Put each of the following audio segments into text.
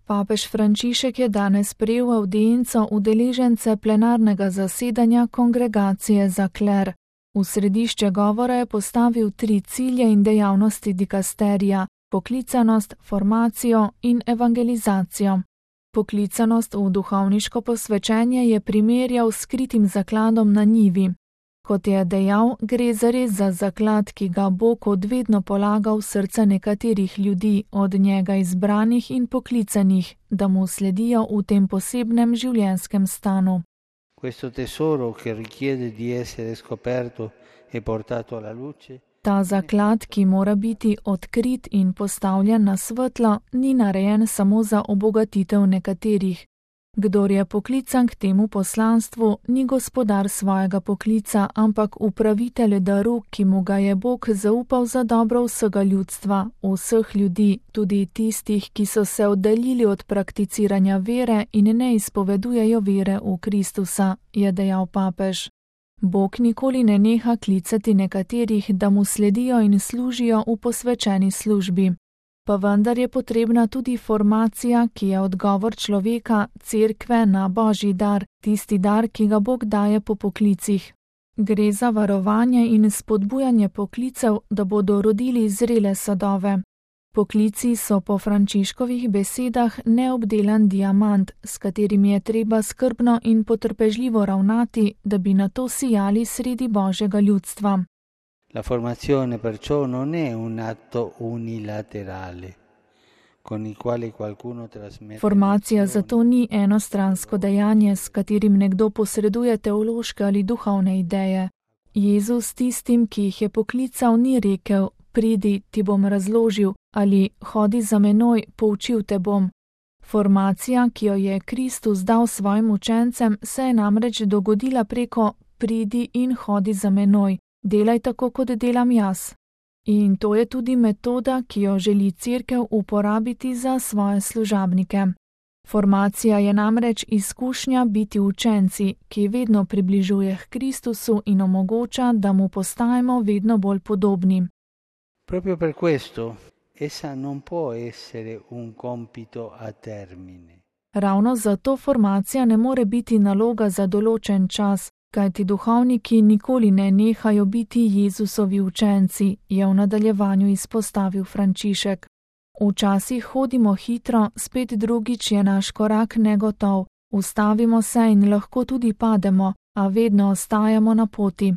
Papež Frančišek je danes prejel avdienco udeležence plenarnega zasedanja Kongregacije za kler. V središče govora je postavil 3 cilje in dejavnosti dikasterija: poklicanost, formacijo in evangelizacijo. Poklicanost v duhovniško posvečenje je primerjal s skritim zakladom na njivi. Kot je dejal, gre zares za zaklad, ki ga Bog odvedno polaga v srca nekaterih ljudi, od njega izbranih in poklicanih, da mu sledijo v tem posebnem življenjskem stanu. Questo tesoro che richiede di essere scoperto e portato alla luce. Ta zaklad, ki mora biti odkrit in postavljen na svetlo, ni narejen samo za obogatitev nekaterih. Kdor je poklican k temu poslanstvu, ni gospodar svojega poklica, ampak upravitelj daru, ki mu ga je Bog zaupal za dobro vsega ljudstva, vseh ljudi, tudi tistih, ki so se oddaljili od prakticiranja vere in ne izpovedujejo vere v Kristusa, je dejal papež. Bog nikoli ne neha klicati nekaterih, da mu sledijo in služijo v posvečeni službi. Pa vendar je potrebna tudi formacija, ki je odgovor človeka, cerkve na Božji dar, tisti dar, ki ga Bog daje po poklicih. Gre za varovanje in spodbujanje poklicev, da bodo rodili zrele sadove. Poklici so po Frančiškovih besedah neobdelan diamant, s katerim je treba skrbno in potrpežljivo ravnati, da bi nato sijali sredi Božjega ljudstva. La formazione perciò non è un atto unilaterale, con il quale qualcuno trasmette. Formacija zato ni enostransko dejanje, s katerim nekdo posreduje teološke ali duhovne ideje. Jezus tistim, ki jih je poklical, ni rekel: pridi, ti bom razložil, ali hodi za menoj, poučil te bom. Formacija, ki jo je Kristus dal svojim učencem, se je namreč dogodila preko pridi in hodi za menoj. Delaj tako, kot delam jaz. In to je tudi metoda, ki jo želi cerkev uporabiti za svoje služabnike. Formacija je namreč izkušnja biti učenci, ki vedno približuje k Kristusu in omogoča, da mu postajamo vedno bolj podobni. Proprio per questo, essa non può essere un compito a termine. Ravno zato formacija ne more biti naloga za določen čas, kajti duhovniki nikoli ne nehajo biti Jezusovi učenci, je v nadaljevanju izpostavil Frančišek. Včasih hodimo hitro, spet drugič je naš korak negotov, ustavimo se in lahko tudi pademo, a vedno ostajamo na poti.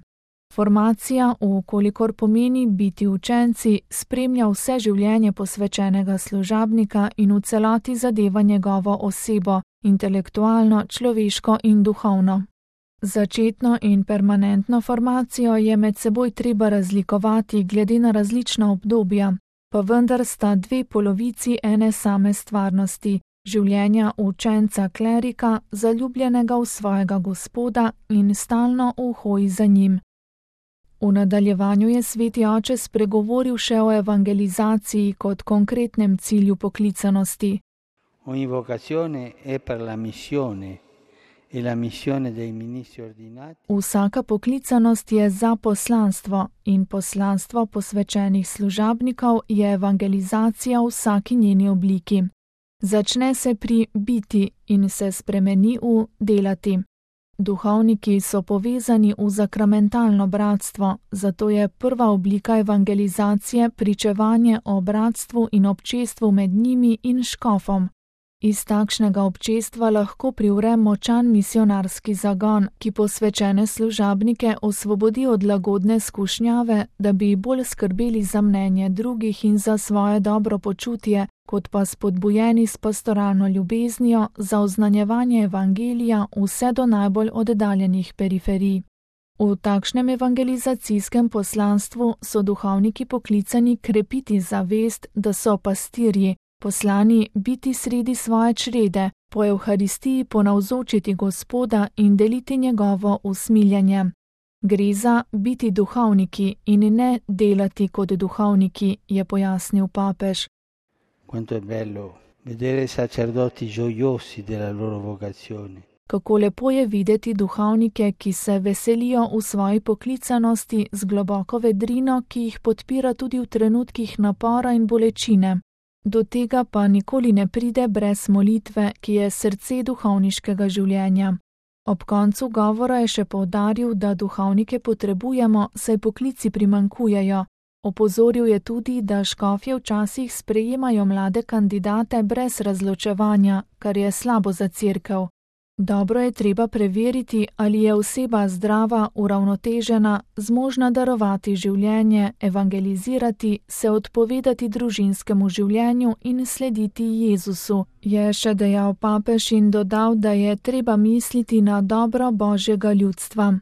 Formacija, vkolikor pomeni biti učenci, spremlja vse življenje posvečenega služabnika in v celoti zadeva njegovo osebo, intelektualno, človeško in duhovno. Začetno in permanentno formacijo je med seboj treba razlikovati glede na različna obdobja, pa vendar sta 2 polovici ene same stvarnosti, življenja učenca klerika, zaljubljenega v svojega Gospoda in stalno v hoji za njim. V nadaljevanju je sveti oče spregovoril še o evangelizaciji kot konkretnem cilju poklicanosti. Ogni vocazione è per la missione. Vsaka poklicanost je za poslanstvo in poslanstvo posvečenih služabnikov je evangelizacija v vsaki njeni obliki. Začne se pri biti in se spremeni v delati. Duhovniki so povezani v zakramentalno bratstvo, zato je prva oblika evangelizacije pričevanje o bratstvu in občestvu med njimi in škofom. Iz takšnega občestva lahko privre močan misionarski zagon, ki posvečene služabnike osvobodi od lagodne skušnjave, da bi bolj skrbeli za mnenje drugih in za svoje dobro počutje, kot pa spodbujeni s pastoralno ljubeznijo za oznanjevanje evangelija vse do najbolj oddaljenih periferij. V takšnem evangelizacijskem poslanstvu so duhovniki poklicani krepiti zavest, da so pastirji, poslani biti sredi svoje črede, po Evharistiji ponavzočiti Gospoda in deliti njegovo usmiljenje. Gre za biti duhovniki in ne delati kot duhovniki, je pojasnil papež. Quanto è bello vedere sacerdoti gioiosi della loro vocazione. Kako lepo je videti duhovnike, ki se veselijo v svoji poklicanosti z globoko vedrino, ki jih podpira tudi v trenutkih napora in bolečine. Do tega pa nikoli ne pride brez molitve, ki je srce duhovniškega življenja. Ob koncu govora je še poudaril, da duhovnike potrebujemo, saj poklici primanjkujejo. Opozoril je tudi, da škofje včasih sprejemajo mlade kandidate brez razločevanja, kar je slabo za cerkev. Dobro je treba preveriti, ali je oseba zdrava, uravnotežena, zmožna darovati življenje, evangelizirati, se odpovedati družinskemu življenju in slediti Jezusu, je še dejal papež in dodal, da je treba misliti na dobro Božjega ljudstva.